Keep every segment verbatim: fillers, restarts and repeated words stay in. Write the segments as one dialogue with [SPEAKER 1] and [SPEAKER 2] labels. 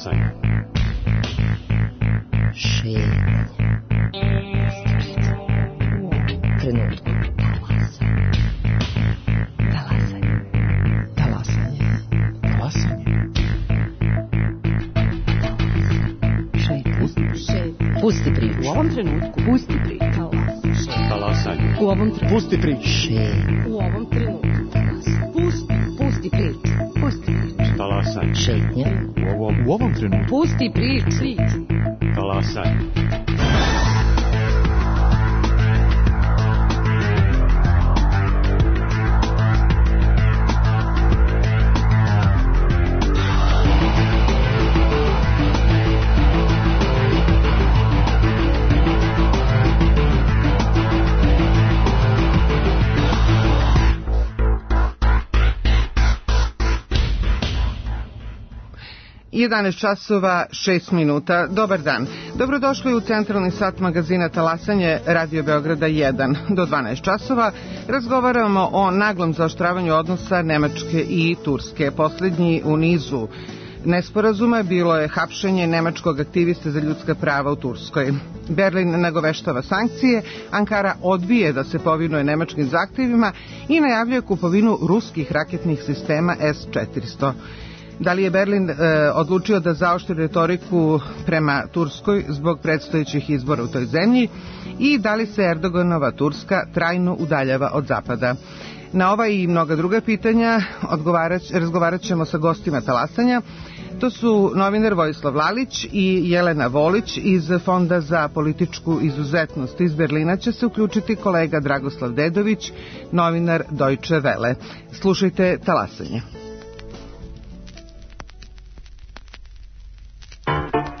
[SPEAKER 1] Talasanje.
[SPEAKER 2] Šetnje. Trenutku. Talasanje. Talasanje.
[SPEAKER 1] Talasanje.
[SPEAKER 2] Šetnje. Pusti priču.
[SPEAKER 3] U ovom trenutku. Pusti priču.
[SPEAKER 1] Talasanje.
[SPEAKER 3] U ovom trenutku.
[SPEAKER 1] Pusti priču.
[SPEAKER 2] Šetnje.
[SPEAKER 3] U ovom trenutku. Pusti. Pusti priču. Pusti priču.
[SPEAKER 1] Talasanje.
[SPEAKER 2] Šetnje.
[SPEAKER 1] U ovom, u ovom trenutku.
[SPEAKER 3] Pusti priču.
[SPEAKER 1] Talasanje.
[SPEAKER 4] jedanaest časova šest minuta. Dobar dan. Dobrodošli u centralni sat magazina Talasanje Radio Beograda jedan. Do dvanaest časova razgovaramo o naglom zaoštravanju odnosa Nemačke i Turske. Poslednji u nizu nesporazuma bilo je hapšenje nemačkog aktiviste za ljudska prava u Turskoj. Berlin nagoveštava sankcije, Ankara odbije da se povinuje nemačkim zahtevima i najavljuje kupovinu ruskih raketnih sistema S četiristo. Da li je Berlin e, odlučio da zaoštri retoriku prema Turskoj zbog predstojećih izbora u toj zemlji i da li se Erdoganova Turska trajno udaljava od Zapada? Na ova i mnoga druga pitanja razgovarat ćemo sa gostima Talasanja. To su novinar Vojislav Lalić i Jelena Volić iz Fonda za političku izuzetnost. Iz Berlina će se uključiti kolega Dragoslav Dedović, novinar Deutsche Welle. Slušajte Talasanje.
[SPEAKER 5] Thank you.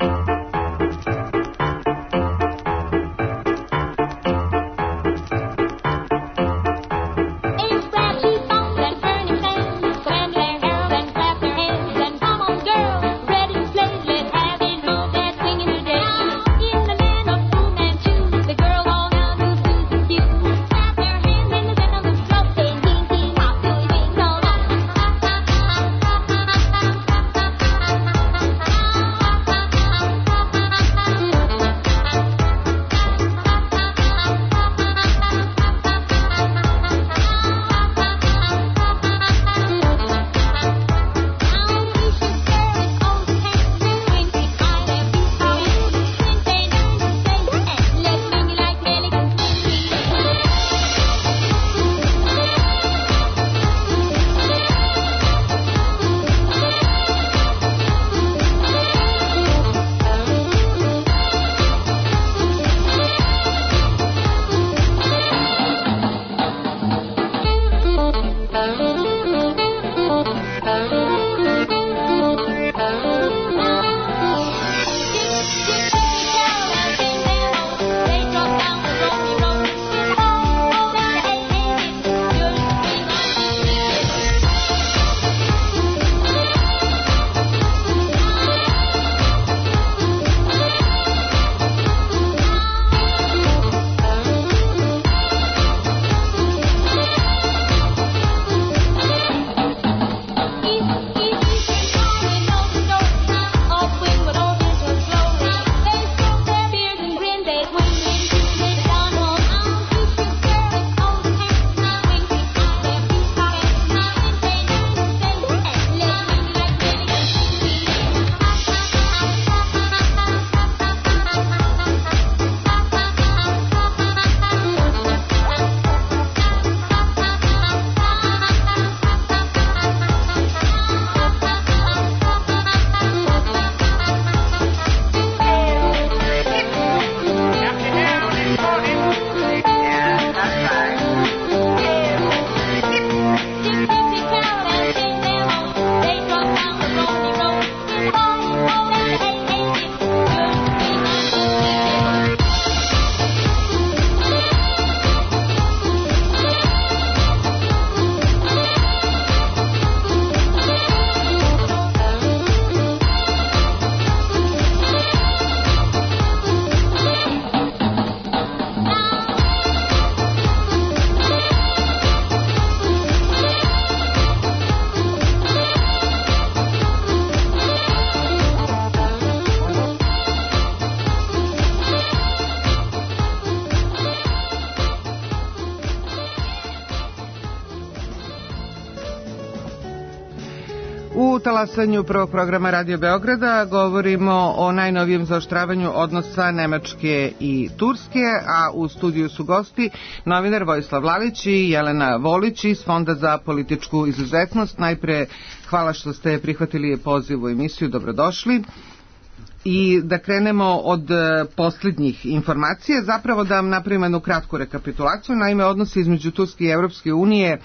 [SPEAKER 4] U talasanju prvog programa Radio Beograda govorimo o najnovijem zaoštravanju odnosa Nemačke i Turske, a u studiju su gosti novinar Vojislav Lalić i Jelena Volić iz Fonda za političku izuzetnost. Najpre hvala što ste prihvatili poziv u emisiju, dobrodošli. I da krenemo od posljednjih informacija, zapravo da vam napravimo jednu kratku rekapitulaciju. Naime, odnosi između Turske i Evropske unije e,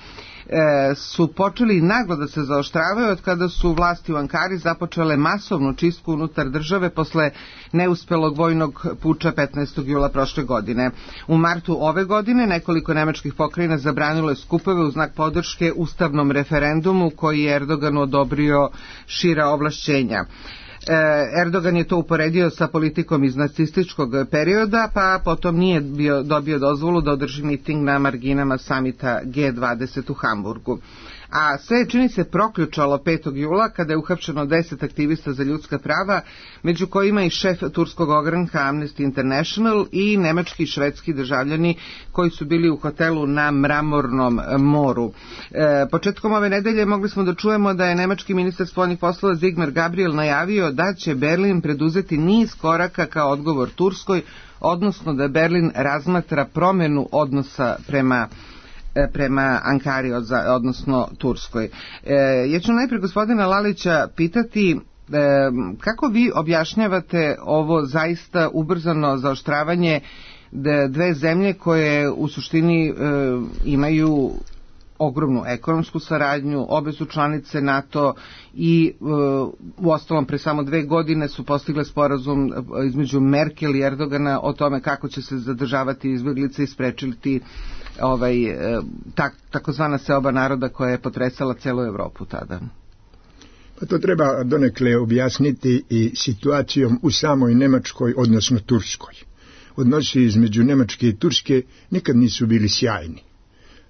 [SPEAKER 4] su počeli naglo da se zaoštravaju od kada su vlasti u Ankari započele masovnu čistku unutar države posle neuspelog vojnog puča petnaestog jula prošle godine. U martu ove godine nekoliko nemačkih pokrajina zabranilo je skupove u znak podrške ustavnom referendumu koji je Erdoganu odobrio šira ovlašćenja. Erdogan je to uporedio sa politikom iz nacističkog perioda, pa potom nije bio, dobio dozvolu da održi miting na marginama samita G dvadeset u Hamburgu. A sve čini se proključalo petog jula kada je uhapšeno deset aktivista za ljudska prava, među kojima i šef turskog ogranka Amnesty International i nemački i švedski državljani koji su bili u hotelu na Mramornom moru. E, početkom ove nedelje mogli smo da čujemo da je nemački ministar spoljnih poslova Sigmar Gabriel najavio da će Berlin preduzeti niz koraka kao odgovor Turskoj, odnosno da Berlin razmatra promjenu odnosa prema prema Ankari, odnosno Turskoj. E, ja ću najprije gospodina Lalića pitati e, kako vi objašnjavate ovo zaista ubrzano zaoštravanje dve zemlje koje u suštini e, imaju ogromnu ekonomsku saradnju, obe su članice NATO i e, u ostalom pre samo dve godine su postigle sporazum između Merkel i Erdogana o tome kako će se zadržavati izbjeglice i sprečiti ovaj, tak, takozvana seoba naroda koja je potresala celu Evropu tada.
[SPEAKER 5] Pa to treba donekle objasniti i situacijom u samoj Nemačkoj, odnosno Turskoj. Odnosi između Nemačke i Turske nikad nisu bili sjajni.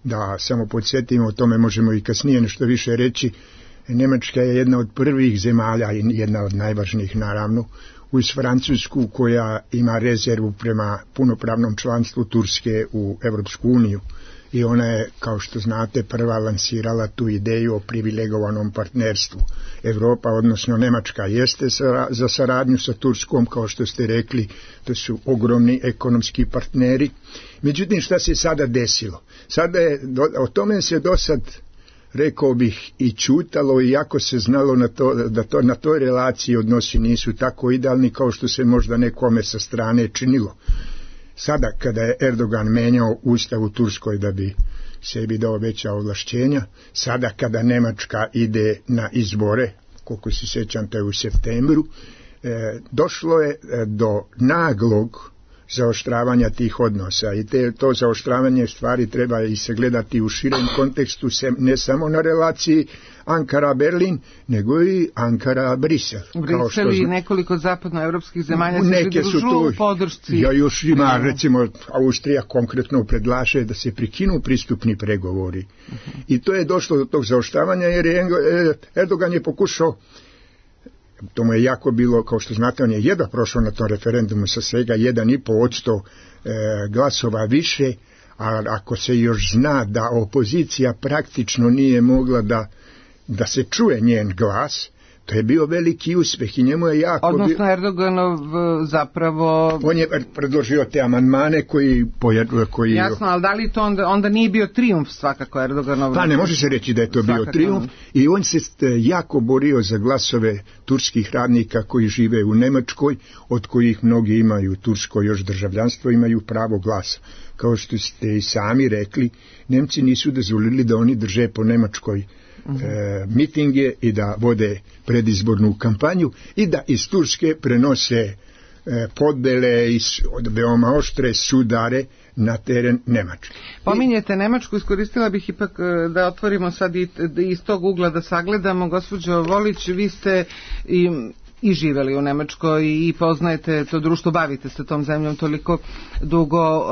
[SPEAKER 5] Da samo podsjetimo, o tome možemo i kasnije nešto više reći. Nemačka je jedna od prvih zemalja i jedna od najvažnijih naravno uz Francusku koja ima rezervu prema punopravnom članstvu Turske u Evropsku uniju. I ona je, kao što znate, prva lansirala tu ideju o privilegovanom partnerstvu. Evropa, odnosno Nemačka, jeste za saradnju sa Turskom, kao što ste rekli, to su ogromni ekonomski partneri. Međutim, šta se sada desilo? Sada je, o tome se do sad, rekao bih, i čutalo, iako se znalo na to, da to, na toj relaciji odnosi nisu tako idealni kao što se možda nekome sa strane činilo. Sada, kada je Erdogan menjao ustav u Turskoj da bi sebi dao veća ovlašćenja, sada kada Nemačka ide na izbore, koliko se sjećam, to je u septembru, e, došlo je do naglog zaoštravanja tih odnosa i te, to zaoštravanje stvari treba i se gledati u širem kontekstu, se, ne samo na relaciji Ankara-Berlin, nego i Ankara-Brisel.
[SPEAKER 4] Brisel i nekoliko zapadnoevropskih zemalja se pridružuju u podršci.
[SPEAKER 5] Ja još ima, recimo, Austrija konkretno predlaže da se prekinu pristupni pregovori. Uh-huh. I to je došlo do tog zaoštravanja jer je Erdogan je pokušao, to mu je jako bilo, kao što znate, on je jedva prošao na tom referendumu sa svega jedan i pol posto e, glasova više, a ako se još zna da opozicija praktično nije mogla da, da se čuje njen glas, to je bio veliki uspjeh i njemu je jako...
[SPEAKER 4] Odnosno bio... Erdoganov zapravo...
[SPEAKER 5] On je predložio te amandmane koji... koji...
[SPEAKER 4] Jasno, ali da li to onda, onda nije bio trijumf svakako Erdoganov?
[SPEAKER 5] Pa ne može se reći da je to svakako bio trijumf i on se jako borio za glasove turskih radnika koji žive u Nemačkoj, od kojih mnogi imaju tursko još državljanstvo, imaju pravo glasa. Kao što ste i sami rekli, Nemci nisu dozvolili da oni drže po Nemačkoj E, mitinge i da vode predizbornu kampanju i da iz Turske prenose e, podele i veoma oštre sudare na teren Nemačke.
[SPEAKER 4] Pominjete Nemačku, iskoristila bih ipak da otvorimo sad i iz tog ugla da sagledamo. Gospođo Volić, vi ste i i živeli u Nemačkoj i poznajete to društvo, bavite se tom zemljom toliko dugo.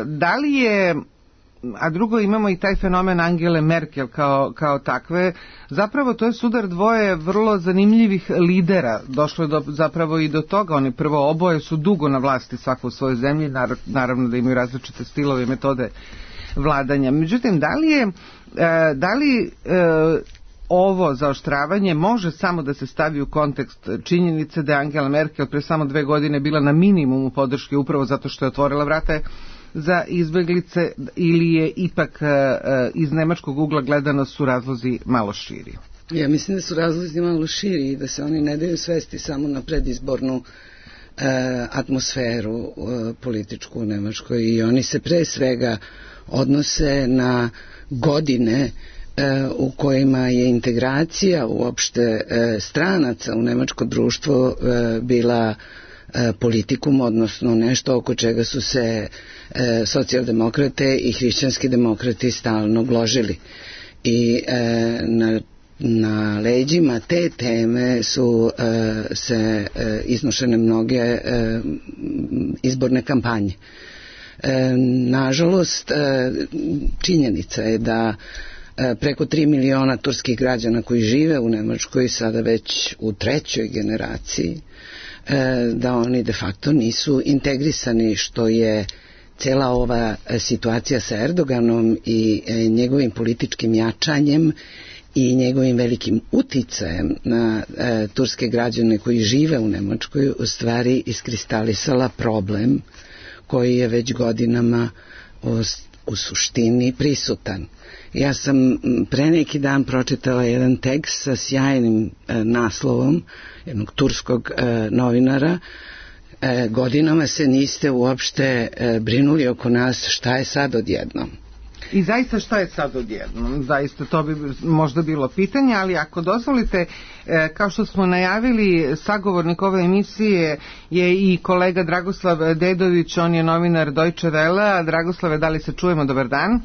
[SPEAKER 4] Da li je, a drugo imamo i taj fenomen Angele Merkel kao, kao takve, zapravo to je sudar dvoje vrlo zanimljivih lidera, došlo je do, zapravo i do toga, oni prvo oboje su dugo na vlasti svako u svojoj zemlji, naravno da imaju različite stilove i metode vladanja. Međutim, da li je, da li ovo zaoštravanje može samo da se stavi u kontekst činjenice da je Angela Merkel pre samo dve godine bila na minimumu podrške upravo zato što je otvorila vrata za izbeglice, ili je ipak iz nemačkog ugla gledano su razlozi malo širi?
[SPEAKER 2] Ja mislim da su razlozi malo širi i da se oni ne daju svesti samo na predizbornu e, atmosferu e, političku u Nemačkoj, i oni se pre svega odnose na godine e, u kojima je integracija uopšte e, stranaca u nemačko društvo e, bila e, politikum, odnosno nešto oko čega su se e, socijaldemokrate i hrišćanski demokrati stalno gložili. I e, na Na leđima te teme su e, se e, iznošene mnoge e, izborne kampanje. E, nažalost, e, činjenica je da e, preko tri miliona turskih građana koji žive u Nemačkoj, sada već u trećoj generaciji, e, da oni de facto nisu integrisani, što je cela ova situacija sa Erdoganom i e, njegovim političkim jačanjem i njegovim velikim uticajem na e, turske građane koji žive u Nemačkoj u stvari iskristalisala problem koji je već godinama u, u suštini prisutan. Ja sam pre neki dan pročitala jedan tekst sa sjajnim e, naslovom jednog turskog e, novinara. E, godinama se niste uopšte e, brinuli oko nas, šta je sad odjednom?
[SPEAKER 4] I zaista šta je sad odjednom? Zaista to bi možda bilo pitanje, ali ako dozvolite, kao što smo najavili, sagovornik ove emisije je i kolega Dragoslav Dedović, on je novinar Deutsche Welle. Dragoslave, da li se čujemo? Dobar dan.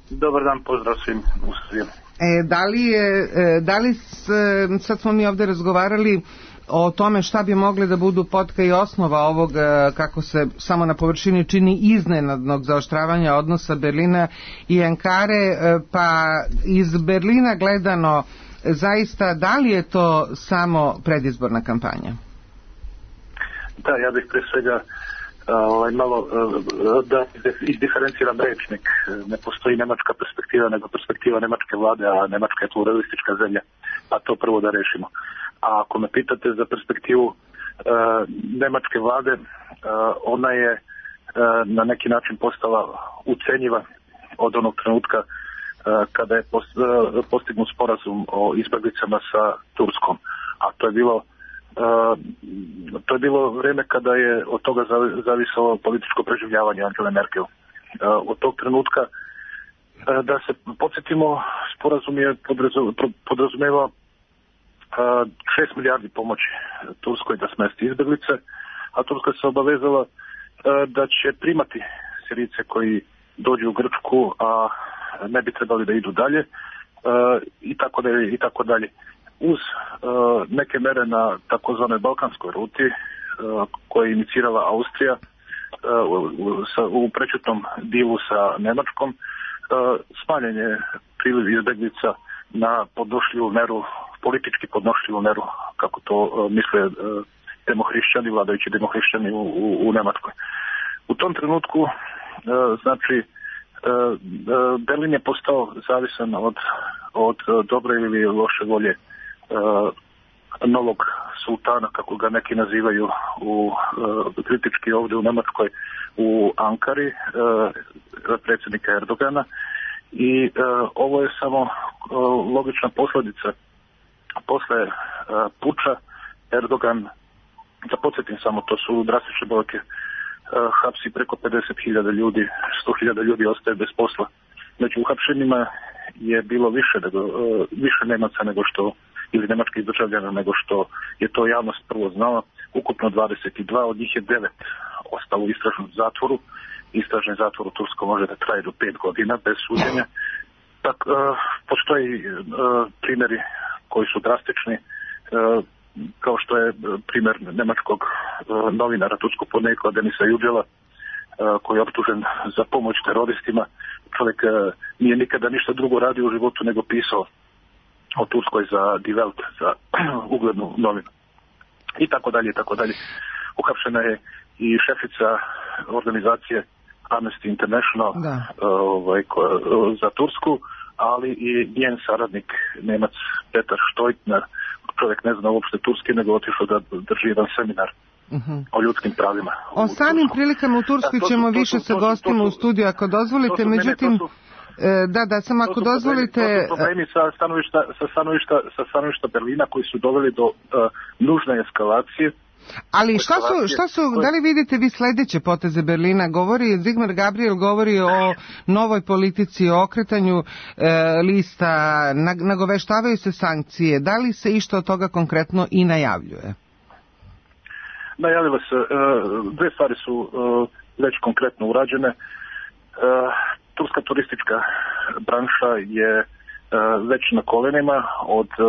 [SPEAKER 6] Dobar dan, pozdrav svim u svijetu.
[SPEAKER 4] E, da li je, da li s, sad smo mi ovde razgovarali o tome šta bi mogle da budu potka i osnova ovog, kako se samo na površini čini, iznenadnog zaoštravanja odnosa Berlina i Ankare, pa iz Berlina gledano, zaista, da li je to samo predizborna kampanja?
[SPEAKER 6] Da, ja bih pre svega ovaj, malo da izdiferenciram rečnik. Ne postoji nemačka perspektiva, nego perspektiva nemačke vlade, a Nemačka je pluralistička zemlja, pa to prvo da rešimo. A ako me pitate za perspektivu e, nemačke vlade, e, ona je e, na neki način postala ucenjiva od onog trenutka e, kada je post, e, postignut sporazum o izbeglicama sa Turskom. A to je bilo e, to je bilo vreme kada je od toga zavisalo političko preživljavanje Angele Merkel. E, od tog trenutka, e, da se podsjetimo, sporazum je podrazumevao šest milijardi pomoći Turskoj da smesti izbeglice, a Turska se obavezala da će primati Sirijce koji dođu u Grčku, a ne bi trebali da idu dalje, i tako dalje, i tako dalje. Uz neke mere na takozvanoj balkanskoj ruti koje je inicirala Austrija u prečutnom dilu sa Nemačkom, smanjen je priliv izbeglica na podnošljivu meru, politički podnošljivu meru, kako to uh, misle uh, demohrišćani, vladajući demohrišćani u, u, u Nemačkoj. U tom trenutku, uh, znači, uh, uh, Berlin je postao zavisan od, od uh, dobre ili loše volje uh, novog sultana, kako ga neki nazivaju u, uh, kritički ovdje u Nemačkoj, u Ankari, uh, predsjednika Erdogana. I uh, ovo je samo uh, logična posljedica. Posle uh, puča Erdogan, da podsjetim samo, to su drastične brojke, uh, hapsi preko pedeset hiljada ljudi, sto hiljada ljudi ostaje bez posla. Među uhapšenima je bilo više, nego, uh, više Nemaca nego što, ili nemačkih državljana nego što je to javnost prvo znala. Ukupno dvadeset dva, od njih je devet ostalo u istražnom zatvoru. Istražni zatvor u Turskoj može da traje do pet godina bez suđenja. Tak, uh, postoji uh, primjeri koji su drastični, uh, kao što je primjer nemačkog uh, novinara turskog porekla Denisa Yücel'a, uh, koji je optužen za pomoć teroristima. Čovjek uh, nije nikada ništa drugo radio u životu nego pisao o Turskoj za Die Welt, za uglednu novinu. I tako dalje, i tako dalje. Uhapšena je i šefica organizacije Amnesty International uh, ovaj, ko, uh, za Tursku, ali i njen saradnik, Nemac Petar Štojtner, čovjek ne zna uopšte turski, nego otišao da drži jedan seminar uh-huh. o ljudskim pravima.
[SPEAKER 4] O samim prilikama u Turskoj da, ćemo to, to, više sa gostima u studiju, ako dozvolite, su, međutim... Ne, ne, Da, da, samo ako dozvolite...
[SPEAKER 6] To su problemi sa stanovišta, sa stanovišta, sa stanovišta Berlina koji su doveli do uh, nužne eskalacije.
[SPEAKER 4] Ali šta su, šta su, da li vidite vi sledeće poteze Berlina? Govori, Zigmar Gabriel govori o novoj politici, o okretanju e, lista, nagoveštavaju se sankcije. Da li se išta od toga konkretno i najavljuje?
[SPEAKER 6] Najavilo se, e, dve stvari su e, već konkretno urađene. E, Turska turistička branša je e, već na kolenima od e,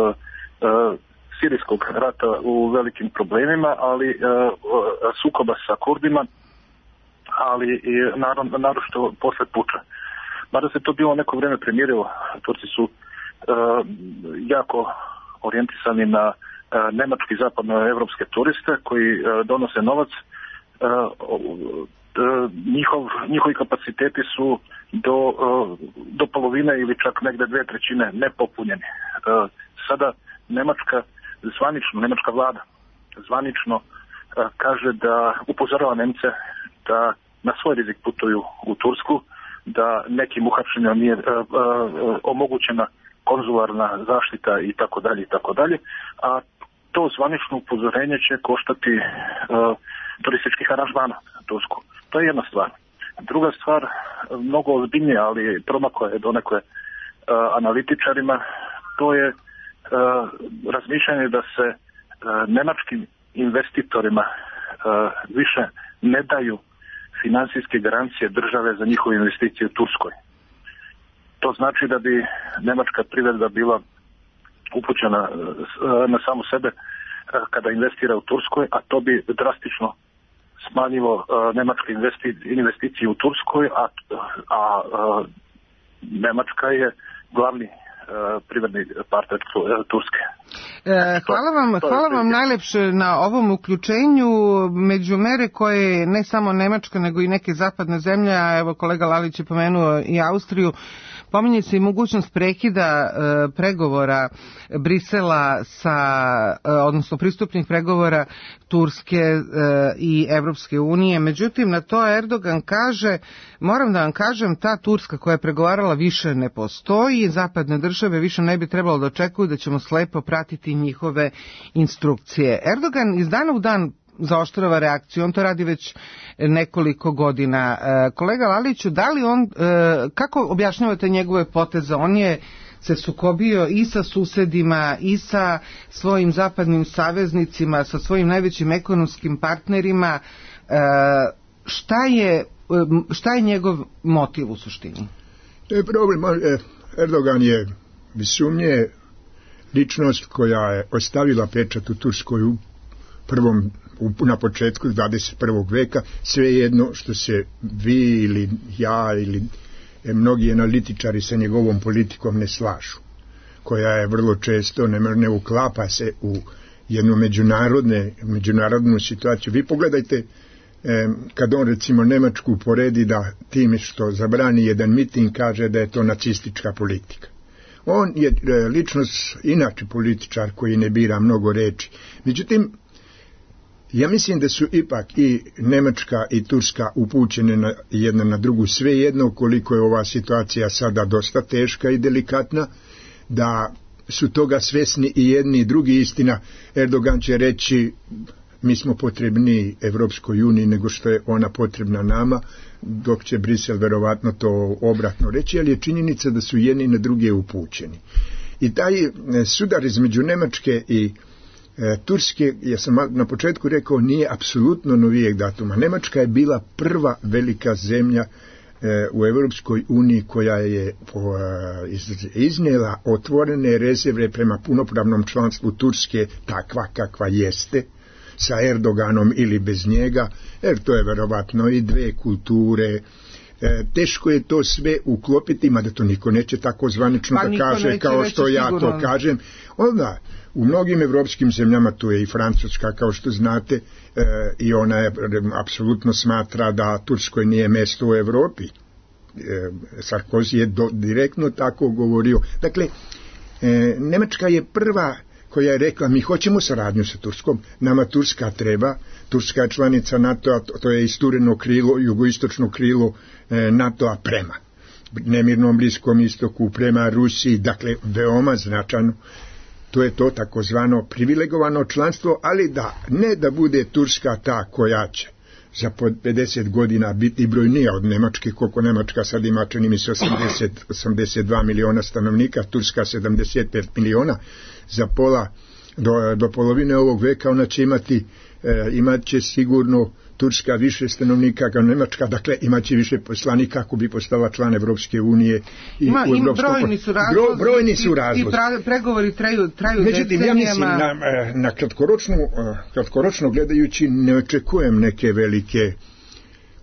[SPEAKER 6] sirijskog rata u velikim problemima, ali e, sukoba sa Kurdima, ali i naročito posle puča. Mada se to bilo neko vreme premirilo, Turci su e, jako orijentisani na e, nemački zapadnoevropske turiste koji e, donose novac. E, njihov, njihovi kapaciteti su do, do polovine ili čak negde dve trećine nepopunjeni. Sada Nemačka, zvanično, nemačka vlada zvanično kaže da upozorava Nemce da na svoj rizik putuju u Tursku, da nekim uhapšenjima nije omogućena konzularna zaštita i tako dalje i tako dalje, a to zvanično upozorenje će koštati turističkih aranžmana na Tursku. To je jedna stvar. Druga stvar, mnogo ozbiljnija, ali promakla je donekle uh, analitičarima, to je uh, razmišljanje da se uh, nemačkim investitorima uh, više ne daju finansijske garancije države za njihove investicije u Turskoj. To znači da bi nemačka privreda bila upućena uh, na samu sebe uh, kada investira u Turskoj, a to bi drastično smanjilo uh, nemačke investi, investicije u Turskoj, a, a uh, Nemačka je glavni uh, privredni partner Turske.
[SPEAKER 4] E, hvala vam, hvala vam najlepše na ovom uključenju. Među mere koje ne samo Nemačka, nego i neke zapadne zemlje, a evo kolega Lalić je pomenuo i Austriju, pominje se i mogućnost prekida e, pregovora Brisela sa, e, odnosno pristupnih pregovora Turske e, i Evropske unije. Međutim, na to Erdogan kaže, moram da vam kažem, ta Turska koja je pregovarala više ne postoji, zapadne države više ne bi trebalo da očekuju da ćemo slepo pratiti njihove instrukcije. Erdogan iz dana u dan zaoštrava reakciju, on to radi već nekoliko godina. Kolega Laliću, da li on, kako objašnjavate njegove poteze? On je se sukobio i sa susedima i sa svojim zapadnim saveznicima, sa svojim najvećim ekonomskim partnerima. Šta je, šta je njegov motiv u suštini?
[SPEAKER 5] To je problem. Erdogan je bez sumnje ličnost koja je ostavila pečat u Turskoj u prvom, na početku dvadeset prvog veka, svejedno što se vi ili ja ili mnogi analitičari sa njegovom politikom ne slažu, koja je vrlo često ne, ne uklapa se u jednu međunarodne, međunarodnu situaciju. Vi pogledajte, eh, kad on recimo Nemačku poredi da time što zabrani jedan miting kaže da je to nacistička politika. On je eh, ličnost, inače političar koji ne bira mnogo reči. Međutim, ja mislim da su ipak i Nemačka i Turska upućene na jedna na drugu, sve jedno koliko je ova situacija sada dosta teška i delikatna, da su toga svesni i jedni i drugi. Istina, Erdogan će reći mi smo potrebni Evropskoj uniji nego što je ona potrebna nama, dok će Brisel verovatno to obratno reći, ali je činjenica da su jedni na druge upućeni. I taj sudar između Nemačke i E, Turske, ja sam na početku rekao, nije apsolutno novijeg datuma. Nemačka je bila prva velika zemlja e, u Evropskoj uniji koja je po, e, iz, iznijela otvorene rezerve prema punopravnom članstvu Turske, takva kakva jeste, sa Erdoganom ili bez njega, jer to je verovatno i dve kulture. E, teško je to sve uklopiti, mada to niko neće tako zvanično pa da kaže kao što ja sigurno to kažem. Onda, u mnogim evropskim zemljama, tu je i Francuska, kao što znate, e, i ona je apsolutno smatra da Turskoj nije mesto u Evropi. Sarkozy je do, direktno tako govorio. Dakle, e, Nemačka je prva koja je rekla mi hoćemo saradnju sa Turskom, nama Turska treba, Turska je članica NATO-a, to je istureno krilo, jugoistočno krilo e, NATO-a prema nemirnom Bliskom istoku, prema Rusiji, dakle veoma značajno. To je to takozvano privilegovano članstvo, ali da ne da bude Turska ta koja će za pedeset godina biti brojnija od Nemačke, koliko Nemačka sad ima, čini mi se osamdeset, osamdeset dva miliona stanovnika, Turska sedamdeset pet miliona, za pola, do, do polovine ovog veka ona će imati, e, imat će sigurno Turska više stanovnika kao Nemačka, dakle imaće više poslanika ako bi postala član Evropske unije. I
[SPEAKER 4] ima,
[SPEAKER 5] u
[SPEAKER 4] ima brojni su razlozi,
[SPEAKER 5] bro, brojni su razlozi.
[SPEAKER 4] I pra, pregovori traju, traju
[SPEAKER 5] Međutim, ja mislim, na, na kratkoročno, kratkoročno gledajući ne očekujem neke velike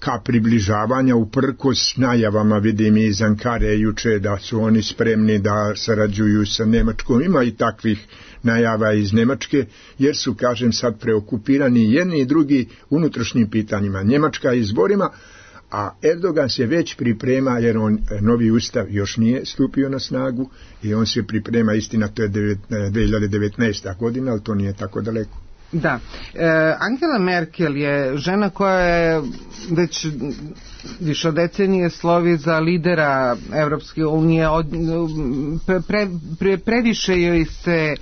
[SPEAKER 5] ka približavanja, uprkos najavama, vidim iz Ankare juče da su oni spremni da sarađuju sa Nemačkom. Ima i takvih najava iz Nemačke, jer su, kažem, sad preokupirani jedni i drugi unutrašnjim pitanjima. Njemačka izborima, a Erdogan se već priprema, jer on novi ustav još nije stupio na snagu i on se priprema, istina, to je dve hiljade devetnaesta godina, ali to nije tako daleko.
[SPEAKER 4] Da. E, Angela Merkel je žena koja je već više od decenije slovi za lidera Evropske unije. Od, pre, pre, previše joj se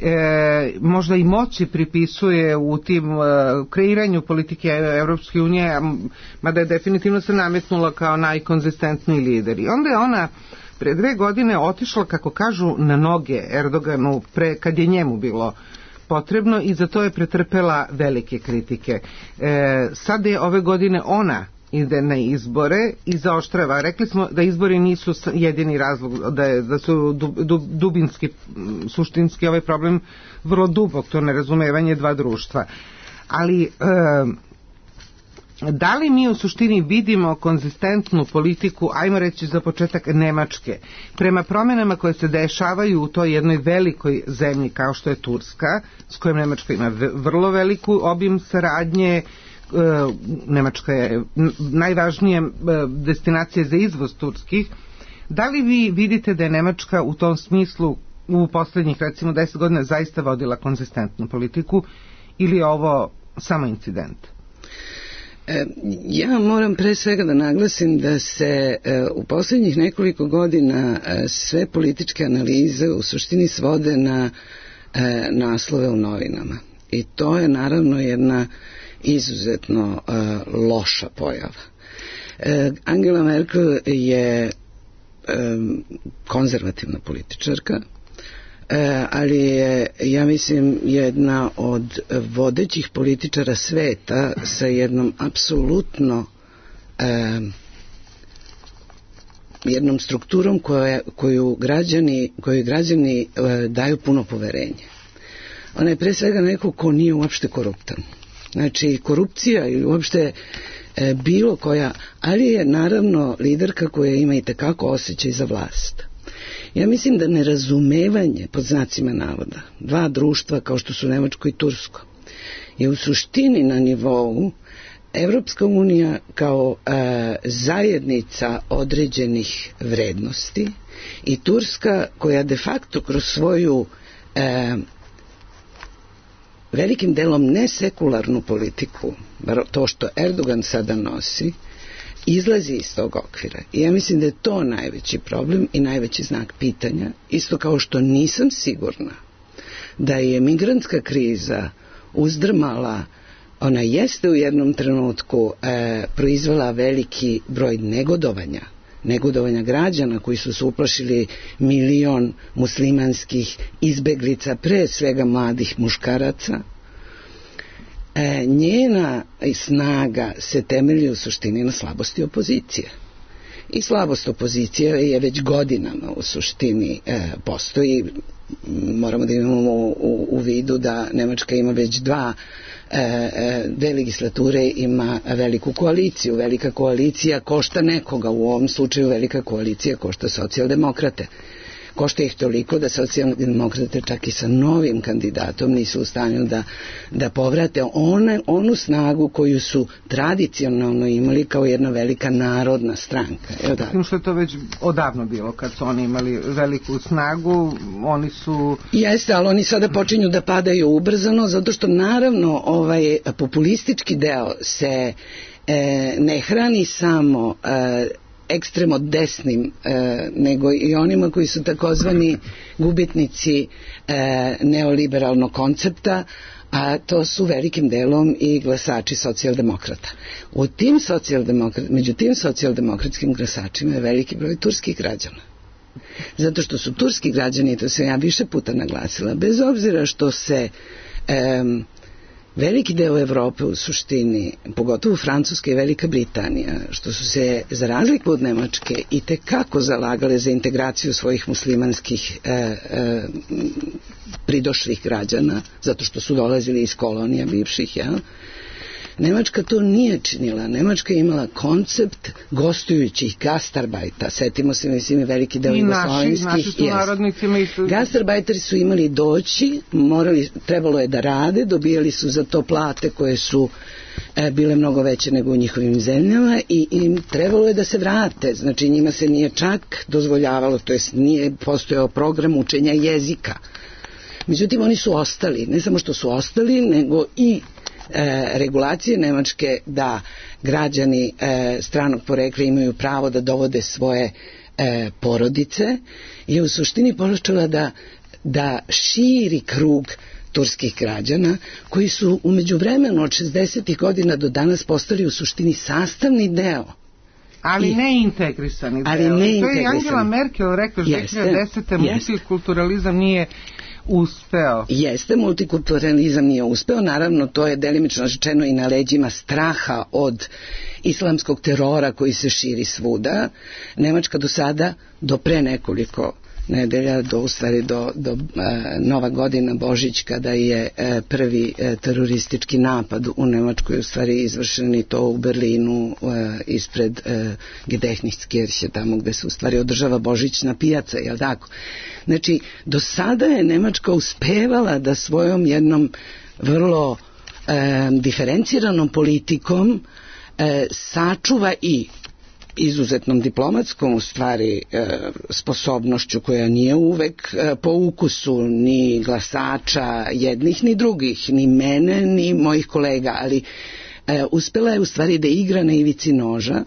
[SPEAKER 4] e, možda i moći pripisuje u tim e, kreiranju politike Evropske unije, mada je definitivno se nametnula kao najkonzistentniji lider. I onda je ona pre dve godine otišla, kako kažu, na noge Erdoganu pre, kad je njemu bilo potrebno, i za to je pretrpela velike kritike. E, sad je ove godine ona ide na izbore i zaoštrava. Rekli smo da izbori nisu jedini razlog, da, je, da su dub, dub, dubinski, suštinski ovaj problem vrlo dubok, to nerazumevanje dva društva. Ali e, da li mi u suštini vidimo konzistentnu politiku, ajmo reći za početak Nemačke, prema promjenama koje se dešavaju u toj jednoj velikoj zemlji kao što je Turska, s kojom Nemačka ima vrlo veliku obim saradnje. Nemačka je najvažnija destinacija za izvoz turskih. Da li vi vidite da je Nemačka u tom smislu u posljednjih recimo deset godina zaista vodila konzistentnu politiku, ili je ovo samo incident?
[SPEAKER 2] Ja moram pre svega da naglasim da se u posljednjih nekoliko godina sve političke analize u suštini svode na naslove u novinama. I to je naravno jedna izuzetno loša pojava. Angela Merkel je konzervativna političarka, ali je, ja mislim, jedna od vodećih političara sveta sa jednom apsolutno eh, jednom strukturom koja, koju građani, koju građani eh, daju puno poverenje. Ona je pre svega neko ko nije uopšte koruptan. Znači, korupcija ili uopšte eh, bilo koja, ali je naravno liderka koja ima i tekako osjećaj za vlast. Ja mislim da nerazumevanje, pod znacima navoda, dva društva kao što su Nemačko i Tursko, je u suštini na nivou Evropska unija kao e, zajednica određenih vrednosti i Turska koja de facto kroz svoju e, velikim delom nesekularnu politiku, bar to što Erdogan sada nosi, izlazi iz tog okvira. I ja mislim da je to najveći problem i najveći znak pitanja, isto kao što nisam sigurna da je migrantska kriza uzdrmala, ona jeste u jednom trenutku e, proizvela veliki broj negodovanja, negodovanja građana koji su se uplašili milion muslimanskih izbeglica, pre svega mladih muškaraca. E, njena snaga se temelji u suštini na slabosti opozicije. I slabost opozicije je već godinama u suštini e, postoji. Moramo da imamo u, u, u vidu da Nemačka ima već dva e, dve legislature, ima veliku koaliciju. Velika koalicija košta nekoga, u ovom slučaju velika koalicija košta socijaldemokrate. košta ih toliko da socijaldemokrate čak i sa novim kandidatom nisu u stanju da, da povrate one, onu snagu koju su tradicionalno imali kao jedna velika narodna stranka. Evo da.
[SPEAKER 4] Tim što je to već odavno bilo, kad su oni imali veliku snagu, oni su...
[SPEAKER 2] Jeste, ali oni sada počinju da padaju ubrzano, zato što naravno ovaj populistički deo se e, ne hrani samo e, ekstremo desnim, e, nego i onima koji su takozvani gubitnici e, neoliberalnog koncepta, a to su velikim delom i glasači socijaldemokrata. U tim socijaldemokrat, među tim socijaldemokratskim glasačima je veliki broj turskih građana. Zato što su turski građani, to sam ja više puta naglasila, bez obzira što se um, veliki deo Evrope u suštini, pogotovo Francuska i Velika Britanija, što su se za razliku od Nemačke i tekako zalagale za integraciju svojih muslimanskih e, e, pridošlih građana, zato što su dolazili iz kolonija bivših, jel? Nemačka to nije činila. Nemačka je imala koncept gostujućih gastarbajta. Setimo se, mislim, veliki deo jugoslovenskih.
[SPEAKER 4] I naši, naši su narodnici. Su...
[SPEAKER 2] Gastarbajteri su imali doći, morali, trebalo je da rade, dobijali su za to plate koje su e, bile mnogo veće nego u njihovim zemljama i im trebalo je da se vrate. Znači njima se nije čak dozvoljavalo, to jest nije postojao program učenja jezika. Međutim, oni su ostali. Ne samo što su ostali, nego i E, regulacije Nemačke da građani e, stranog porekla imaju pravo da dovode svoje e, porodice je u suštini počela da, da širi krug turskih građana koji su u međuvremenu od šezdesetih godina do danas postali u suštini sastavni deo.
[SPEAKER 4] Ali
[SPEAKER 2] I,
[SPEAKER 4] ne integrisani deo.
[SPEAKER 2] Ali ne
[SPEAKER 4] to
[SPEAKER 2] integrisani.
[SPEAKER 4] je Angela Merkel rekla što dve hiljade desete. multikulturalizam nije uspeo.
[SPEAKER 2] Jeste, multikulturalizam nije uspeo, naravno to je delimično rečeno i na leđima straha od islamskog terora koji se širi svuda. Nemačka do sada, do pre nekoliko nedelja, do, u stvari do, do uh, Nova godina, Božić, kada je uh, prvi uh, teroristički napad u Nemačkoj u stvari izvršen i to u Berlinu uh, ispred uh, Gedächtniskirche, tamo gde se u stvari održava božićna pijaca, jel tako? Znači, do sada je Nemačka uspevala da svojom jednom vrlo uh, diferenciranom politikom uh, sačuva i izuzetnom diplomatskom u stvari e, sposobnošću koja nije uvek e, po ukusu ni glasača jednih ni drugih, ni mene ni mojih kolega, ali e, uspela je u stvari da igra na ivici noža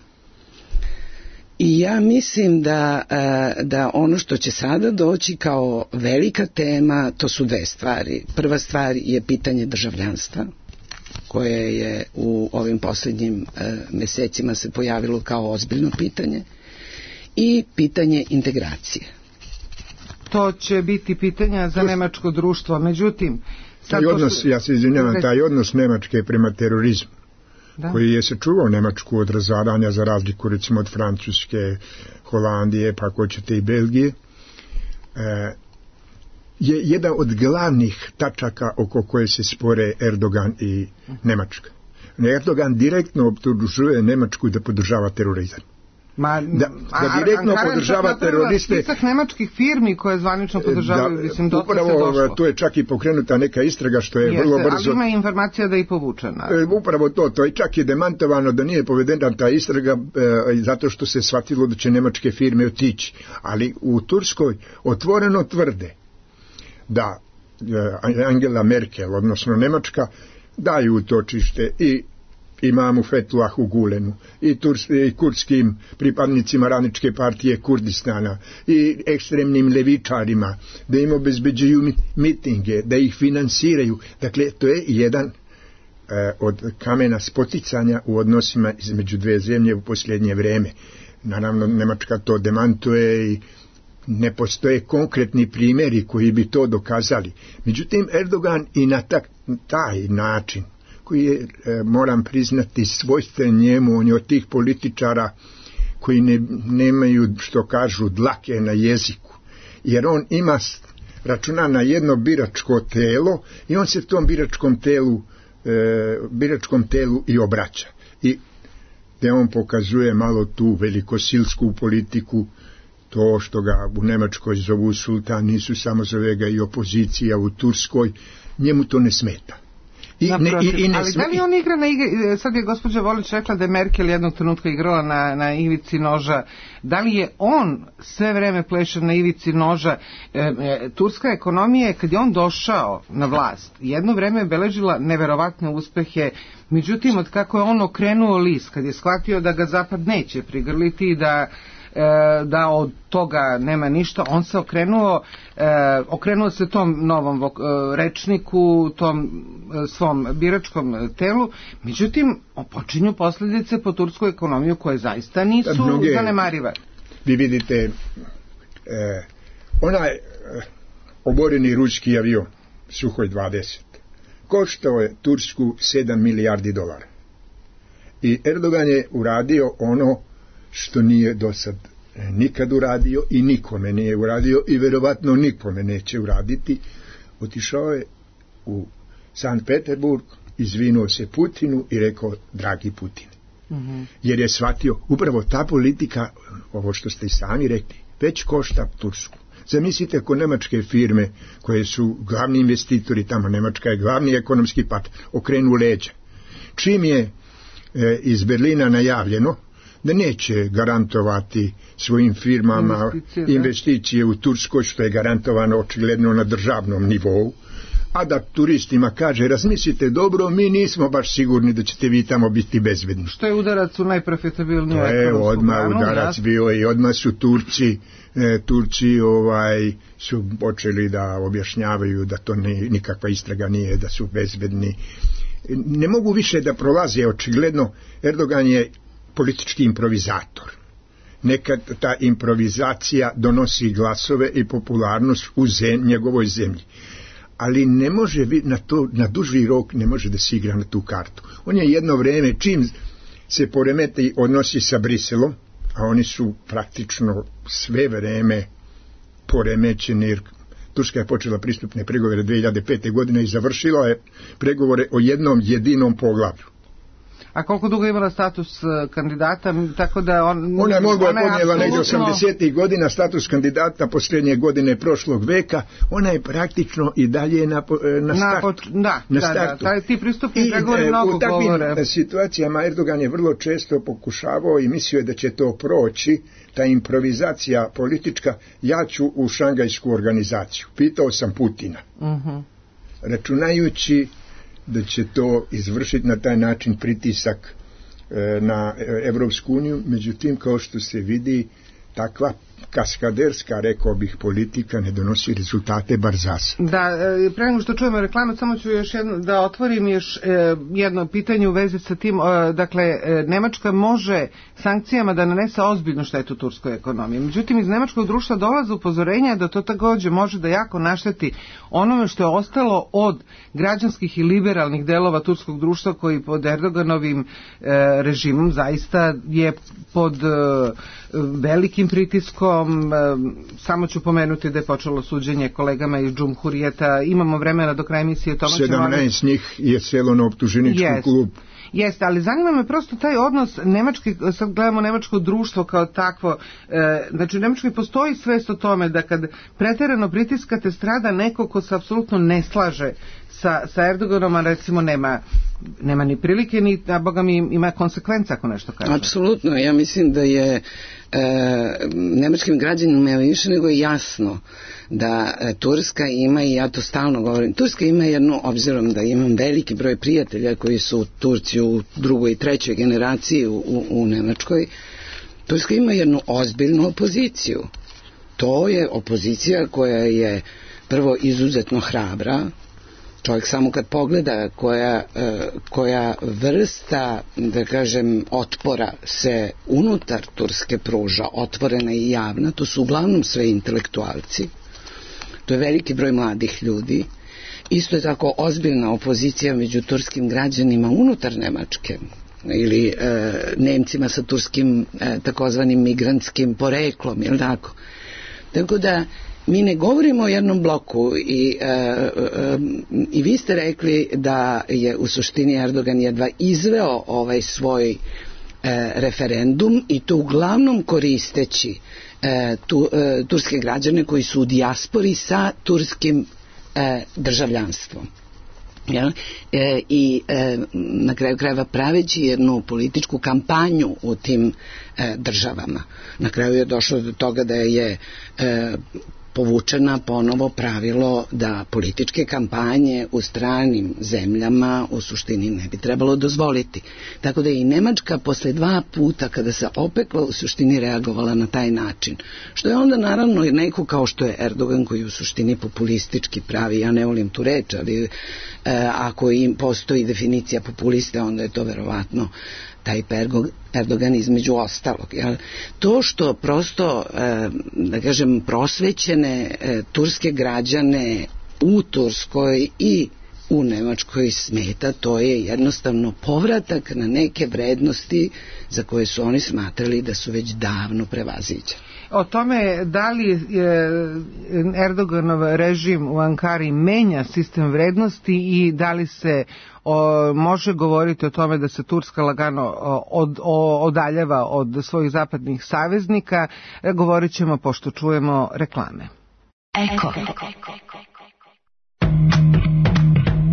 [SPEAKER 2] i ja mislim da, e, da ono što će sada doći kao velika tema, to su dve stvari. Prva stvar je pitanje državljanstva, koje je u ovim posljednjim e, mesecima se pojavilo kao ozbiljno pitanje, i pitanje integracije.
[SPEAKER 4] To će biti pitanja za nemačko društvo, međutim...
[SPEAKER 5] Taj odnos, što... ja se izvinjavam, taj odnos Nemačke prema terorizmu, da, koji je sačuvao Nemačku od razaranja za razliku recimo od Francuske, Holandije, pa ako ćete i Belgije, e, je jedan od glavnih tačaka oko koje se spore Erdogan i Nemačka. Erdogan direktno optužuje Nemačku da podržava terorizam.
[SPEAKER 4] Ma,
[SPEAKER 5] da, da direktno
[SPEAKER 4] a,
[SPEAKER 5] podržava teroriste.
[SPEAKER 4] Spisak nemačkih firmi koje zvanično podržavaju, da, mislim, dotle se došlo.
[SPEAKER 5] To je čak i pokrenuta neka istraga što je Jeste, vrlo brzo.
[SPEAKER 4] Ali ima informacija da je i povučena.
[SPEAKER 5] E, upravo to, to je čak i demantovano da nije povedena ta istraga e, zato što se shvatilo da će nemačke firme otići. Ali u Turskoj otvoreno tvrde da Angela Merkel, odnosno Nemačka, daju utočište i imamu Fethulahu Gulenu, i, turs, i kurdskim pripadnicima radničke partije Kurdistana, i ekstremnim levičarima, da im obezbeđuju mitinge, da ih finansiraju. Dakle, to je jedan e, od kamena spoticanja u odnosima između dve zemlje u posljednje vreme. Naravno, Nemačka to demantuje i ne postoje konkretni primjeri koji bi to dokazali. Međutim, Erdogan i na ta, taj način, koji je, e, moram priznati, svojstven njemu, on je od tih političara koji ne, nemaju, što kažu, dlake na jeziku, jer on ima, računa na jedno biračko telo i on se tom biračkom telu, e, biračkom telu i obraća. I da on pokazuje malo tu velikosilsku politiku to što ga u Nemačkoj zovu sultan, nisu samo zove ga i opozicija u Turskoj, njemu to ne smeta. I ne, i, i ne
[SPEAKER 4] ali da li on igra na igri, sad je gospođa Volić rekla da je Merkel jednog trenutka igrala na, na ivici noža, da li je on sve vreme pleše na ivici noža? E, e, turska ekonomija je, kad je on došao na vlast, jedno vreme je beležila neverovatne uspehe, međutim od kako je on okrenuo list, kad je shvatio da ga Zapad neće prigrliti, da da od toga nema ništa, on se okrenuo okrenuo se tom novom rečniku, tom svom biračkom telu, međutim počinju posljedice po tursku ekonomiju koje zaista nisu mnoge zanemarive.
[SPEAKER 5] Vi vidite eh, onaj eh, oboreni ruski avion Suhoj dvadeset koštao je Tursku sedam milijardi dolara i Erdogan je uradio ono što nije do sad nikad uradio i nikome nije uradio i verovatno nikome neće uraditi. Otišao je u Sankt Peterburg, izvinuo se Putinu i rekao: dragi Putin. Mm-hmm. Jer je shvatio, upravo ta politika, ovo što ste i sami rekli, već košta Tursku. Zamislite ako nemačke firme koje su glavni investitori tamo, Nemačka je glavni ekonomski partner, okrenu leđa. Čim je e, iz Berlina najavljeno da neće garantovati svojim firmama investicije, investicije u Turskoj, što je garantovano očigledno na državnom nivou, a da turistima kaže: razmislite dobro, mi nismo baš sigurni da ćete vi tamo biti bezbedni.
[SPEAKER 4] Što je udarac u najprofitabilniju
[SPEAKER 5] ekonomsku granu. To je odmah udarac ja? bio i odmah su Turci, e, Turci ovaj, su počeli da objašnjavaju da to ne, nikakva istraga nije, da su bezbedni. Ne mogu više da prolaze, očigledno Erdogan je politički improvizator. Nekad ta improvizacija donosi glasove i popularnost u zem, njegovoj zemlji. Ali ne može na to, na duži rok ne može da se igra na tu kartu. On je jedno vreme, čim se poremeti odnosi sa Briselom, a oni su praktično sve vreme poremećeni, jer Turska je počela pristupne pregovore dve hiljade pete. godine i završila je pregovore o jednom jedinom poglavlju.
[SPEAKER 4] A koliko dugo je imala status kandidata, tako da on...
[SPEAKER 5] Ona je mogla je podnijela negdje osamdesetih godina status kandidata posljednje godine prošlog veka, ona je praktično i dalje na, na startu.
[SPEAKER 4] Na, da,
[SPEAKER 5] na
[SPEAKER 4] da,
[SPEAKER 5] startu.
[SPEAKER 4] da, ti pristupni pregovori mnogo govore.
[SPEAKER 5] U takvim situacijama Erdogan je vrlo često pokušavao i mislio je da će to proći, ta improvizacija politička: ja ću u Šangajsku organizaciju. Pitao sam Putina. Uh-huh. Računajući da će to izvršiti na taj način pritisak e, na Evropsku uniju, međutim, kao što se vidi, takva kaskaderska, rekao bih, politika ne donosi rezultate bar za sad.
[SPEAKER 4] Da, pre nego što čujemo reklamu, samo ću još jedno, da otvorim još e, jedno pitanje u vezi sa tim. E, dakle, e, Nemačka može sankcijama da nanese ozbiljnu štetu turskoj ekonomiji. Međutim, iz nemačkog društva dolaze upozorenja da to također može da jako našteti onome što je ostalo od građanskih i liberalnih delova turskog društva, koji pod Erdoganovim e, režimom zaista je pod e, velikim pritiskom. Samo ću pomenuti da je počelo suđenje kolegama iz Džumhurijeta. Imamo vremena do kraja emisije.
[SPEAKER 5] sedamnaest njih je selo na optuženičku yes. klub.
[SPEAKER 4] Jeste, ali zanima me prosto taj odnos nemački, sad gledamo nemačko društvo kao takvo, e, znači u Nemačkoj postoji svest o tome da kad preterano pritiskate strada neko ko se apsolutno ne slaže sa, sa Erdoganom, a recimo nema, nema ni prilike, ni, a boga mi ima konsekvenca ako nešto kaže.
[SPEAKER 2] Apsolutno, ja mislim da je e, nemačkim građanima više nego jasno da e, Turska ima, i ja to stalno govorim, Turska ima jednu, obzirom da imam veliki broj prijatelja koji su Turci u drugoj i trećoj generaciji u, u, u Nemačkoj, Turska ima jednu ozbiljnu opoziciju. To je opozicija koja je prvo izuzetno hrabra. Čovjek samo kad pogleda koja, koja vrsta, da kažem, otpora se unutar Turske pruža, otvorena i javna, to su uglavnom sve intelektualci, to je veliki broj mladih ljudi. Isto je tako ozbiljna opozicija među turskim građanima unutar Nemačke, ili e, Nemcima sa turskim e, takozvanim migrantskim poreklom, jel tako? Tako da mi ne govorimo o jednom bloku i, e, e, i vi ste rekli da je u suštini Erdogan jedva izveo ovaj svoj e, referendum, i to uglavnom koristeći e, tu, e, turske građane koji su u dijaspori sa turskim e, državljanstvom. Ja? E, I e, na kraju krajeva praveći jednu političku kampanju u tim e, državama. Na kraju je došlo do toga da je e, povučena ponovo pravilo da političke kampanje u stranim zemljama u suštini ne bi trebalo dozvoliti. Tako da je i Nemačka posle dva puta kada se opekla u suštini reagovala na taj način. Što je onda naravno i neko kao što je Erdogan koji u suštini populistički pravi, ja ne volim tu reč, ali e, ako im postoji definicija populiste, onda je to verovatno taj Erdogan između ostalog. Jel? To što prosto, e, da kažem, prosvećene e, turske građane u Turskoj i u Nemačkoj smeta, to je jednostavno povratak na neke vrednosti za koje su oni smatrali da su već davno prevaziđene.
[SPEAKER 4] O tome da li Erdoganov režim u Ankari menja sistem vrednosti i da li se o, može govoriti o tome da se Turska lagano od, o, odaljava od svojih zapadnih saveznika, govorit ćemo pošto čujemo reklame.
[SPEAKER 3] Eko.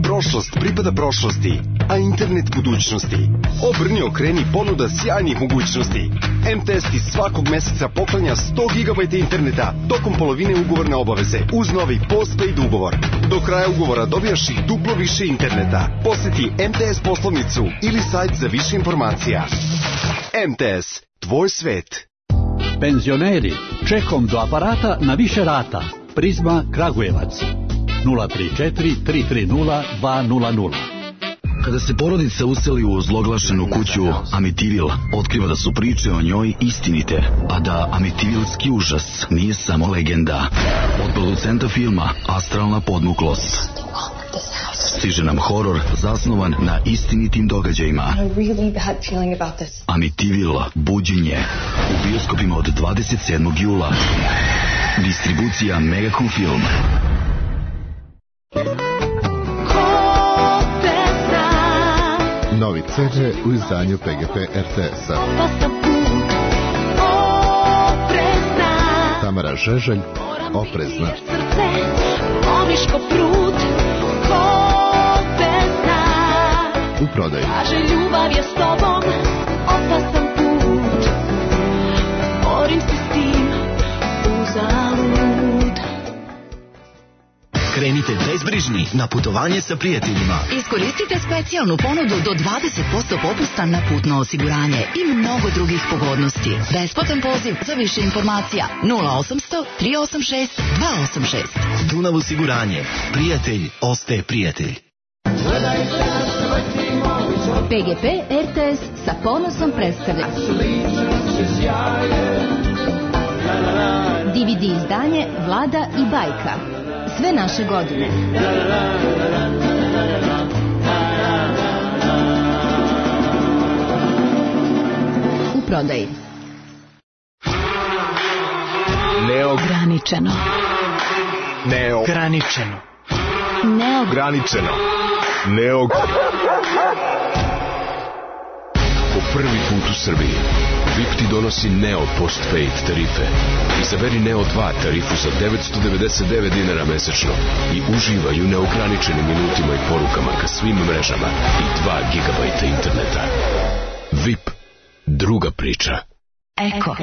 [SPEAKER 7] Prošlost pripada prošlosti, a internet budućnosti. Obrni, okreni, ponuda sjajnih mogućnosti. em te es ti svakog meseca poklanja sto gigabajta interneta tokom polovine ugovorne obaveze uz novi postpaid ugovor. Do kraja ugovora dobijaš i duplo više interneta. Poseti em te es poslovnicu ili sajt za više informacija. em te es, tvoj svet.
[SPEAKER 8] Penzioneri, čekom do aparata na više rata. Prizma Kragujevac. nula tri četiri tri tri nula dva nula nula.
[SPEAKER 9] Kada se porodica useli u ozloglašenu kuću Amitivil, otkriva da su priče o njoj istinite, a da Amitivilski užas nije samo legenda. Od producenta filma Astralna podmuklost stiže nam horor zasnovan na istinitim događajima. Amitivil, buđenje, u bioskopima od dvadeset sedmog jula. Distribucija Megacom Film.
[SPEAKER 10] Novi ce de u izdanju pe ge pe er te es-a. Tamara Žeželj, Oprezna. U prodaju. Ljubav je s tobom, opasan put. Borim se s tim, uzalud.
[SPEAKER 11] Krenite bezbrižni na putovanje sa prijateljima.
[SPEAKER 12] Iskoristite specijalnu ponudu do dvadeset posto popusta na putno osiguranje i mnogo drugih pogodnosti. Besplatan poziv za više informacija nula osamsto tri osam šest dva osam šest.
[SPEAKER 11] Dunav osiguranje. Prijatelj ostaje prijatelj.
[SPEAKER 3] pe ge pe er te es sa ponosom predstavlja de ve de izdanje Vlada i bajka. Sve naše godine. U prodaji.
[SPEAKER 11] Neograničeno.
[SPEAKER 3] Neograničeno.
[SPEAKER 10] Neograničeno. Neog...
[SPEAKER 13] Po prvi put u Srbiji V I P ti donosi Neo Postpaid tarife. Izaberi Neo dva tarifu za devetsto devedeset devet dinara mesečno i uživaj u neograničenim minutima i porukama ka svim mrežama i dva gigabajta interneta. V I P. Druga priča.
[SPEAKER 3] Eko.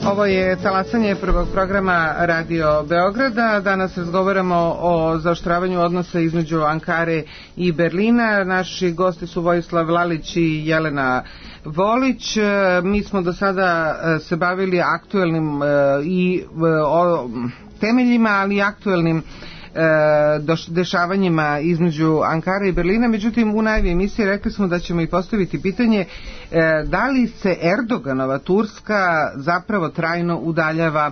[SPEAKER 4] Ovo je talasanje prvog programa Radio Beograda. Danas razgovaramo o zaoštravanju odnosa između Ankare i Berlina. Naši gosti su Vojislav Lalić i Jelena Volić. Mi smo do sada se bavili aktuelnim i o temeljima, ali i aktuelnim dešavanjima između Ankare i Berlina. Međutim, u najavi emisije rekli smo da ćemo i postaviti pitanje da li se Erdoganova Turska zapravo trajno udaljava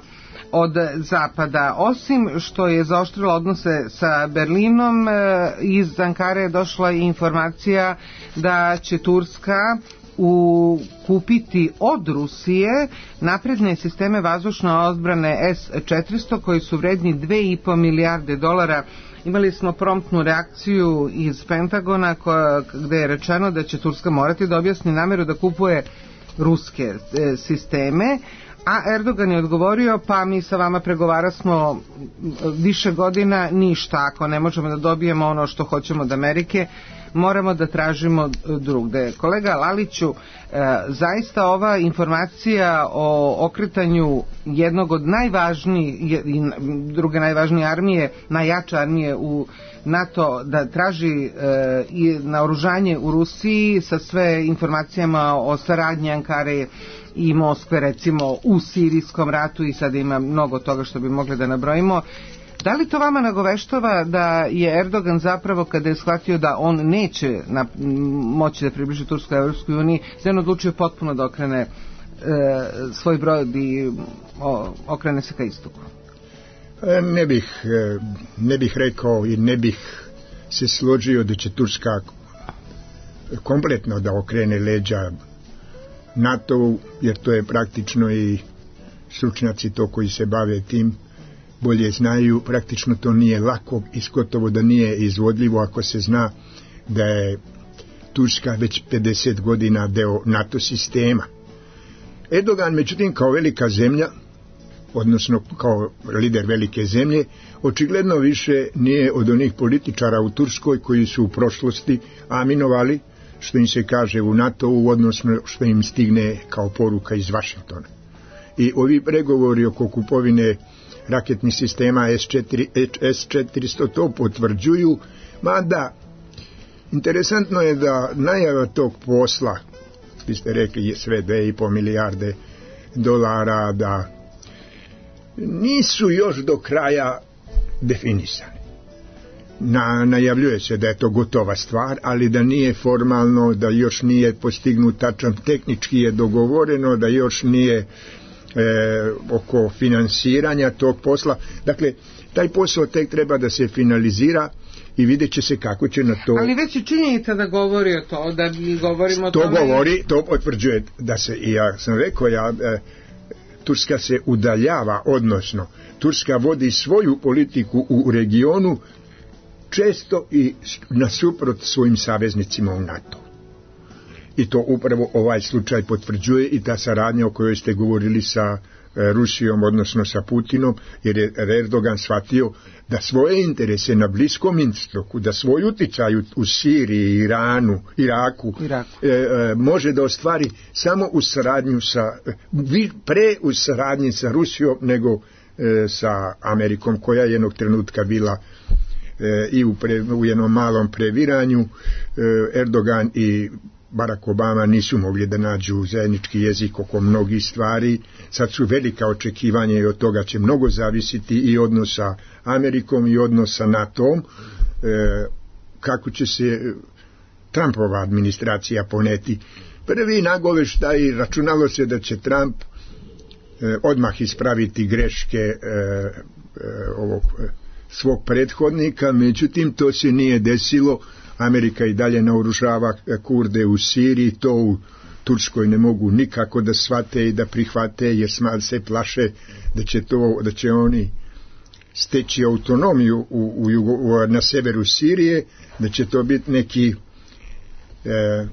[SPEAKER 4] od zapada. Osim što je zaoštrila odnose sa Berlinom, iz Ankare je došla i informacija da će Turska u kupiti od Rusije napredne sisteme vazdušne odbrane S četiristo koji su vredni dve i po milijarde dolara. Imali smo promptnu reakciju iz Pentagona koja, gde je rečeno da će Turska morati da objasni nameru da kupuje ruske e, sisteme, a Erdogan je odgovorio, pa mi sa vama pregovarasmo više godina, ništa, ako ne možemo da dobijemo ono što hoćemo od Amerike, moramo da tražimo drugde. Kolega Laliću, e, zaista ova informacija o okretanju jednog od najvažnijih i druge najvažnije armije, najjače armije u NATO, da traži e, i naoružanje u Rusiji sa sve informacijama o saradnji Ankare i Moskve, recimo u sirijskom ratu, i sada ima mnogo toga što bi mogli da nabrojimo. Da li to vama nagoveštava da je Erdogan zapravo, kada je shvatio da on neće na, moći da približi Tursku Evropskoj uniji, da on odlučio potpuno da okrene e, svoj brod i o, okrene se ka istoku?
[SPEAKER 5] Ne bih, ne bih rekao i ne bih se složio da će Turska kompletno da okrene leđa NATO-u, jer to je praktično, i stručnjaci to koji se bave tim bolje znaju, praktično to nije lako i gotovo da nije izvodljivo ako se zna da je Turska već pedeset godina deo NATO sistema. Erdogan, međutim, kao velika zemlja, odnosno kao lider velike zemlje, očigledno više nije od onih političara u Turskoj koji su u prošlosti aminovali što im se kaže u NATO-u, odnosno što im stigne kao poruka iz Vašingtona. I ovi pregovori oko kupovine raketnih sistema S četiristo to potvrđuju, mada interesantno je da najava tog posla, vi ste rekli je sve dve i po milijarde dolara, da nisu još do kraja definisani. Na, najavljuje se da je to gotova stvar, ali da nije formalno, da još nije postignut tačan, tehnički je dogovoreno, da još nije E, oko finansiranja tog posla. Dakle, taj posao tek treba da se finalizira i vidjet će se kako će na to...
[SPEAKER 4] Ali već je činjenica da govori o to, da mi govorimo o
[SPEAKER 5] to
[SPEAKER 4] tome...
[SPEAKER 5] To govori, to potvrđuje da se, i ja sam rekao, ja, e, Turska se udaljava, odnosno Turska vodi svoju politiku u regionu često i nasuprot svojim saveznicima u NATO. I to upravo ovaj slučaj potvrđuje, i ta saradnja o kojoj ste govorili sa e, Rusijom, odnosno sa Putinom, jer je Erdogan shvatio da svoje interese na Bliskom istoku, da svoj uticaj u, u Siriji, Iranu, Iraku, Iraku. E, e, može da ostvari samo u saradnju sa, pre u saradnji sa Rusijom nego e, sa Amerikom, koja je jednog trenutka bila e, i u, pre, u jednom malom previranju. e, Erdogan i Barack Obama nisu mogli da nađu zajednički jezik oko mnogih stvari. Sad su velika očekivanja i od toga će mnogo zavisiti i odnos sa Amerikom i odnos sa NATO-om. E, kako će se Trumpova administracija poneti. Prvi nagoveštaj, računalo se da će Trump e, odmah ispraviti greške e, e, ovog e, svog prethodnika, međutim to se nije desilo. Amerika i dalje naoružava Kurde u Siriji, to u Turskoj ne mogu nikako da shvate i da prihvate, jer se plaše da će, to, da će oni steći autonomiju u, u, u, na severu Sirije, da će to biti neki e,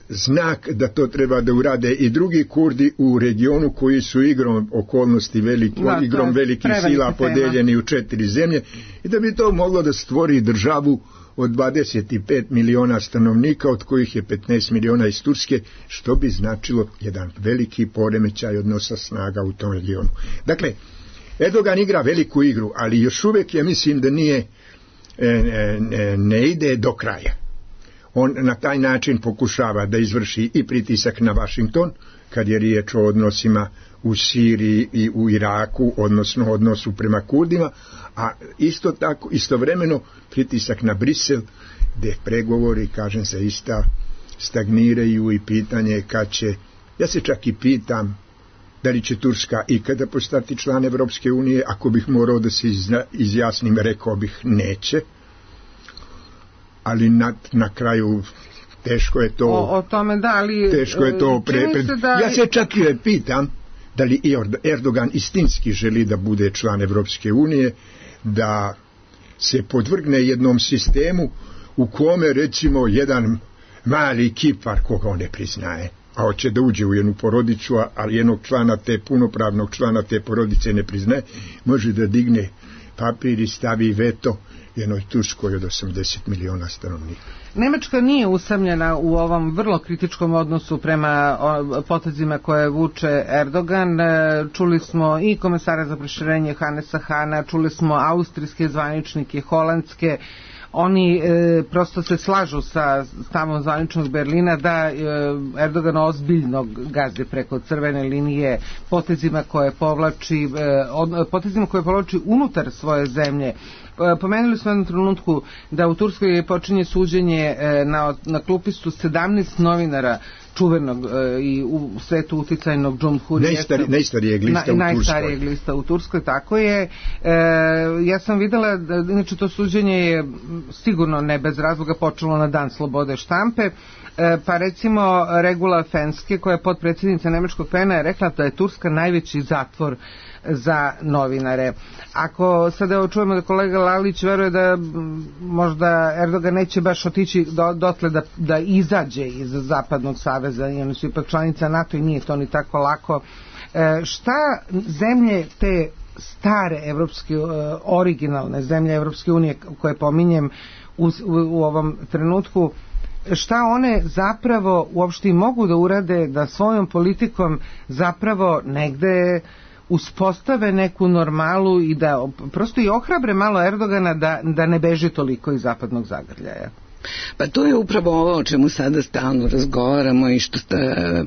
[SPEAKER 5] znak da to treba da urade i drugi Kurdi u regionu koji su igrom okolnosti veliki, da, igrom velikih sila podeljeni u četiri zemlje, i da bi to moglo da stvori državu od dvadeset pet miliona stanovnika, od kojih je petnaest miliona iz Turske, što bi značilo jedan veliki poremećaj odnosa snaga u tom regionu. Dakle, Erdogan igra veliku igru, ali još uvijek ja mislim da nije ne, ne ide do kraja. On na taj način pokušava da izvrši i pritisak na Vašington, kad je riječ o odnosima u Siriji i u Iraku, odnosno odnosu prema Kurdima, a isto tako, istovremeno pritisak na Brisel, gdje pregovori, kažem se, ista stagniraju, i pitanje kad će, ja se čak i pitam da li će Turska ikada postati član Evropske unije. Ako bih morao da se izjasnim, rekao bih neće, ali na, na kraju Teško je to...
[SPEAKER 4] O, o tome da, ali...
[SPEAKER 5] Teško je to pre... pre
[SPEAKER 4] da...
[SPEAKER 5] Ja se čak i pitam da li Erdogan istinski želi da bude član Evropske unije, da se podvrgne jednom sistemu u kome recimo jedan mali Kipar koga on ne priznaje, a hoće da uđe u jednu porodicu, a jednog člana te, punopravnog člana te porodice ne priznaje, može da digne papir i stavi veto jednoj Turskoj od osamdeset miliona stanovnika.
[SPEAKER 4] Nemačka nije usamljena u ovom vrlo kritičkom odnosu prema potezima koje vuče Erdogan. Čuli smo i komesara za proširenje Hanesa Hana, čuli smo austrijske zvaničnike, holandske. Oni e, prosto se slažu sa stavom zvaničnog Berlina da e, Erdogan ozbiljno gazdi preko crvene linije potezima koje povlači, e, od, potezima koje povlači unutar svoje zemlje. E, pomenuli smo jednom trenutku da u Turskoj počinje suđenje e, na, na klupistu sedamnaest novinara čuvenog e, i u svetu uticajnog Cumhuriyeta.
[SPEAKER 5] Najstari, najstarijeg lista na, u Turskoj.
[SPEAKER 4] Najstarijeg lista u Turskoj, tako je. E, ja sam videla, da, inače to suđenje je sigurno ne bez razloga počelo na dan slobode štampe, e, pa recimo Regula Fenske, koja je potpredsjednica nemačkog pena, je rekla da je Turska najveći zatvor za novinare. Ako sada evo čujemo da kolega Lalić veruje da možda Erdogan neće baš otići do, dotle da, da izađe iz Zapadnog saveza, i oni su ipak članica NATO i nije to ni tako lako. E, šta zemlje te stare evropske, originalne zemlje Evropske unije koje pominjem u, u, u ovom trenutku, šta one zapravo uopšte i mogu da urade da svojom politikom zapravo negde uspostave neku normalu i da prosto i ohrabre malo Erdogana da, da ne beži toliko iz zapadnog zagrljaja?
[SPEAKER 2] Pa to je upravo ovo o čemu sada stalno razgovaramo i što sta,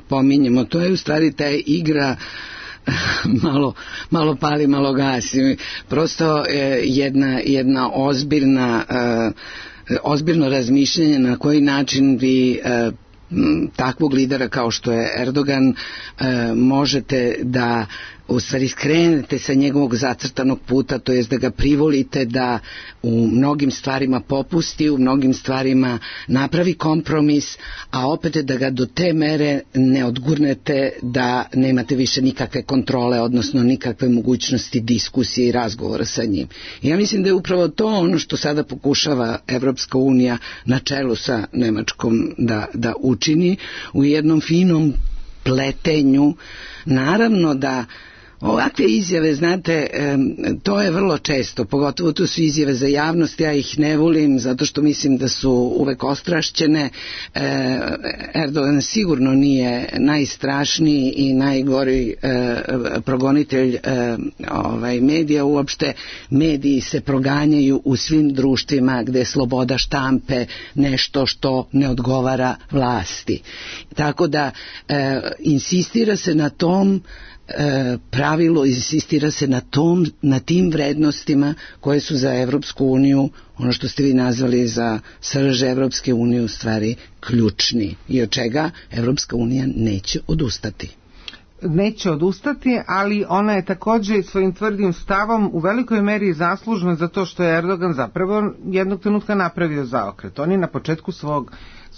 [SPEAKER 2] pominjemo. To je u stvari ta igra malo, malo pali, malo gasi. Prosto eh, jedna, jedna ozbiljna eh, ozbiljno razmišljanje na koji način vi eh, takvog lidera kao što je Erdogan eh, možete da u stvari skrenete sa njegovog zacrtanog puta, to jest da ga privolite da u mnogim stvarima popusti, u mnogim stvarima napravi kompromis, a opet da ga do te mere ne odgurnete da nemate više nikakve kontrole, odnosno nikakve mogućnosti diskusije i razgovora sa njim. I ja mislim da je upravo to ono što sada pokušava Evropska unija na čelu sa Nemačkom da, da učini u jednom finom pletenju. Naravno da ovakve izjave, znate, to je vrlo često, pogotovo to su izjave za javnost, ja ih ne volim zato što mislim da su uvek ostrašćene. Erdogan sigurno nije najstrašniji i najgori progonitelj ovaj, medija, uopšte mediji se proganjaju u svim društvima gde je sloboda štampe nešto što ne odgovara vlasti. Tako da insistira se na tom E, pravilo, insistira se na tom, na tim vrednostima koje su za Evropsku uniju, ono što ste vi nazvali za srž Evropske unije, u stvari ključni i od čega Evropska unija neće odustati.
[SPEAKER 4] Neće odustati, ali ona je također svojim tvrdim stavom u velikoj meri zaslužna za to što je Erdogan zapravo jednog trenutka napravio zaokret. On je na početku svog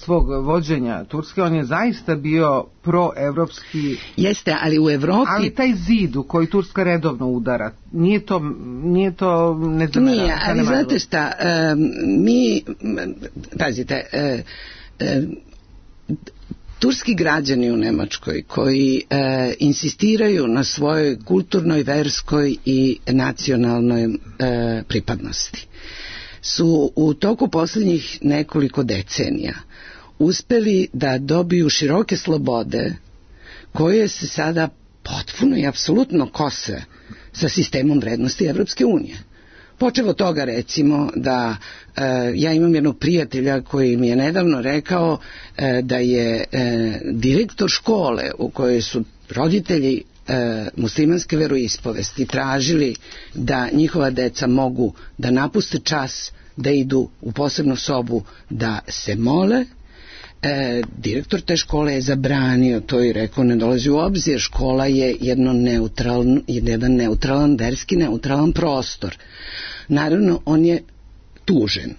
[SPEAKER 4] svog vođenja Turske, on je zaista bio proevropski.
[SPEAKER 2] Jeste, ali u Evropi...
[SPEAKER 4] Ali taj zid u koji Turska redovno udara, nije to, nije to nezamerano.
[SPEAKER 2] Nije, ali znate šta, um, mi, pazite, uh, uh, turski građani u Nemačkoj koji uh, insistiraju na svojoj kulturnoj, verskoj i nacionalnoj uh, pripadnosti su u toku posljednjih nekoliko decenija uspeli da dobiju široke slobode koje se sada potpuno i apsolutno kose sa sistemom vrednosti Evropske unije. Počevo toga recimo da e, ja imam jednog prijatelja koji mi je nedavno rekao e, da je e, direktor škole u kojoj su roditelji e, muslimanske veroispovesti tražili da njihova deca mogu da napuste čas, da idu u posebnu sobu da se mole. E, direktor te škole je zabranio to i rekao ne dolazi u obzir, škola je jedno neutralan, jedan neutralan, verski neutralan prostor. Naravno on je tužen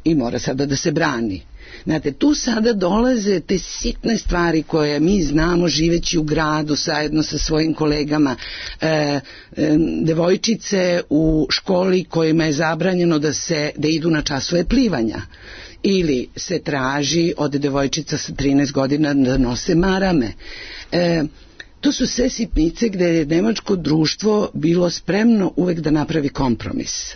[SPEAKER 2] i mora sada da se brani. Znate, tu sada dolaze te sitne stvari koje mi znamo živeći u gradu zajedno sa svojim kolegama. E, e, devojčice u školi kojima je zabranjeno da, se, da idu na časove plivanja. Ili se traži od devojčica sa trinaest godina da nose marame. E, to su sve sitnice gde je nemačko društvo bilo spremno uvek da napravi kompromis.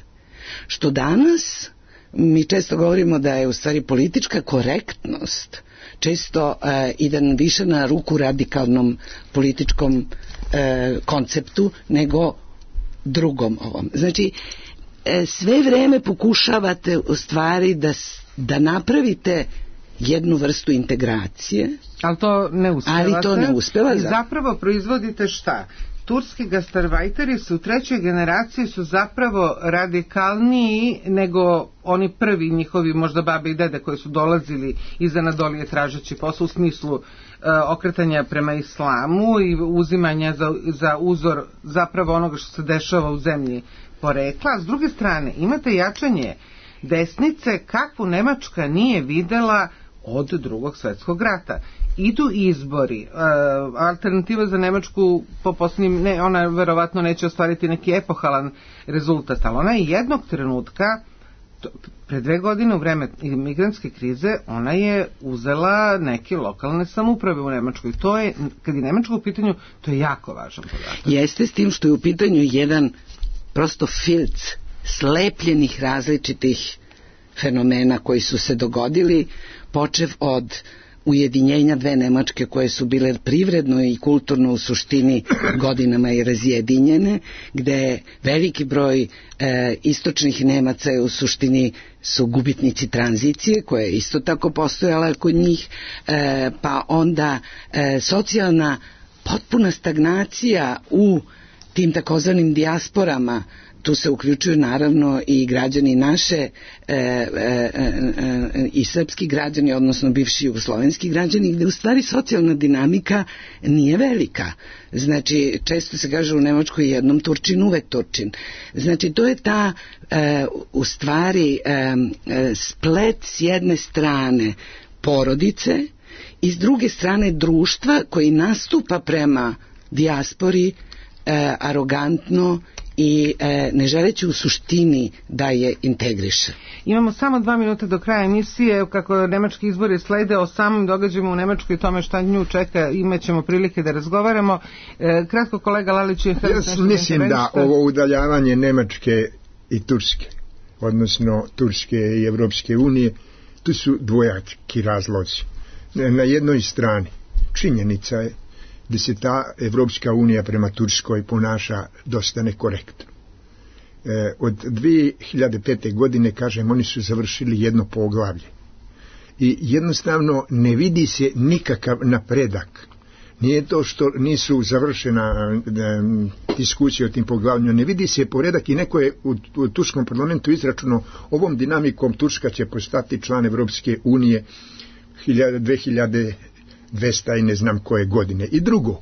[SPEAKER 2] Što danas mi često govorimo da je u stvari politička korektnost često e, ide više na ruku radikalnom političkom e, konceptu nego drugom ovom. Znači, e, sve vreme pokušavate u stvari da, da napravite jednu vrstu integracije.
[SPEAKER 4] Ali to ne uspevate.
[SPEAKER 2] Ali to ne uspeva.
[SPEAKER 4] I zapravo proizvodite šta? Turski gastarbajteri su u trećoj generaciji su zapravo radikalniji nego oni prvi njihovi možda babe i dede koji su dolazili iz Anadolije tražeći posao u smislu e, okretanja prema islamu i uzimanja za, za uzor zapravo onoga što se dešava u zemlji porekla. S druge strane imate jačanje desnice kakvu Nemačka nije videla od drugog svjetskog rata. Idu izbori. E, alternativa za Nemačku po posljednjim, ne, ona verovatno neće ostvariti neki epohalan rezultat, ali ona je jednog trenutka, to, pre dve godine u vreme migrantske krize, ona je uzela neke lokalne samouprave u Nemačkoj. To je, kad je Nemačka u pitanju, to je jako važan podatak.
[SPEAKER 2] Jeste, s tim što je u pitanju jedan prosto filc slepljenih različitih fenomena koji su se dogodili, počev od ujedinjenja dve Nemačke koje su bile privredno i kulturno u suštini godinama i razjedinjene, gde veliki broj e, istočnih Nemaca je u suštini su gubitnici tranzicije koja je isto tako postojala kod njih, e, pa onda e, socijalna potpuna stagnacija u tim takozvanim dijasporama. Tu se uključuju naravno i građani naše e, e, e, i srpski građani, odnosno bivši jugoslovenski građani, gde u stvari socijalna dinamika nije velika. Znači, često se kaže u Nemačkoj jednom Turčin, uvek Turčin. Znači, to je ta e, u stvari e, splet s jedne strane porodice i s druge strane društva koji nastupa prema dijaspori e, arogantno i e, ne želeći u suštini da je integriše.
[SPEAKER 4] Imamo samo dva minuta do kraja emisije. Kako nemački izbori slede, o samim događajima u Nemačkoj i tome šta nju čeka imat ćemo prilike da razgovaramo. E, kratko kolega Lalić je...
[SPEAKER 5] Ja mislim da ovo udaljavanje Nemačke i Turske, odnosno Turske i Evropske unije, tu su dvojaki razlozi. Na jednoj strani činjenica je da se ta Evropska unija prema Turskoj ponaša dosta nekorektno. E, od dvije hiljade pete. godine, kažem, oni su završili jedno poglavlje. I jednostavno ne vidi se nikakav napredak. Nije to što nisu završena e, diskusija o tim poglavljima, ne vidi se poredak i neko je u, u turskom parlamentu izračunao ovom dinamikom Turska će postati član Evropske unije dve hiljade dvesta i ne znam koje godine. I drugo,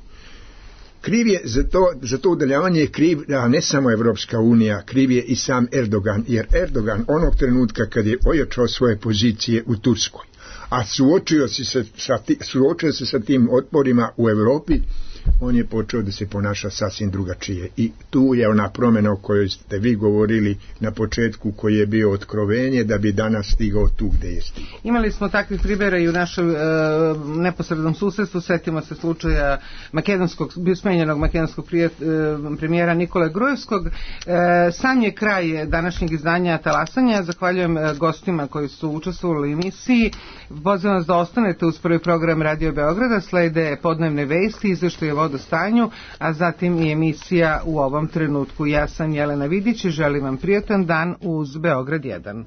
[SPEAKER 5] kriv je za to, za to udaljavanje je kriv, a ne samo Evropska unija, kriv je i sam Erdogan, jer Erdogan onog trenutka kad je ojačao svoje pozicije u Turskoj, a suočio se sa, sa, suočio se sa tim otporima u Evropi, on je počeo da se ponaša sasvim drugačije. I tu je ona promjena o kojoj ste vi govorili na početku, koji je bio otkrovenje da bi danas stigao tu gde je stigao.
[SPEAKER 4] Imali smo takvih primjera i u našem e, neposrednom susjedstvu. Setimo se slučaja makedonskog, smenjenog makedonskog prijet, e, premijera Nikole Grujevskog. E, sam je kraj današnjeg izdanja Talasanja. Zahvaljujem e, gostima koji su učestvovali u emisiji. Pozivam vas da ostanete uz prvi program Radio Beograda. Slede podnevne vesti, izveštaje o vodostanju, a zatim i emisija U ovom trenutku. Ja sam Jelena Vidić i želim vam prijatan dan uz Beograd jedan.